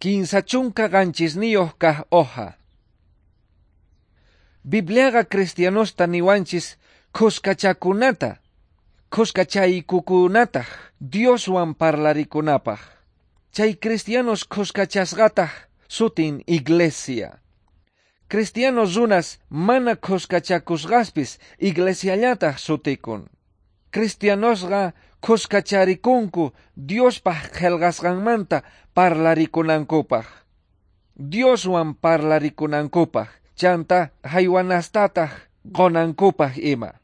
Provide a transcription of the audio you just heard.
37 kaq hoja. Bibliaqa cristianosta niwanchis khuskachakunata, khuskachaykukunataq Dioswan parlarikunapaq. Chay cristianos khuskachasqataq sutin iglesia. Cristianos runas mana khuskachakusqaspis iglesiallataq sutikun. Cristianosqa khuskacharikunku Diospaq qillqasqanmanta parlarikunankupaq. Dioswan parlarikunankupaq, chanta haywanastataq qunankupaq ima.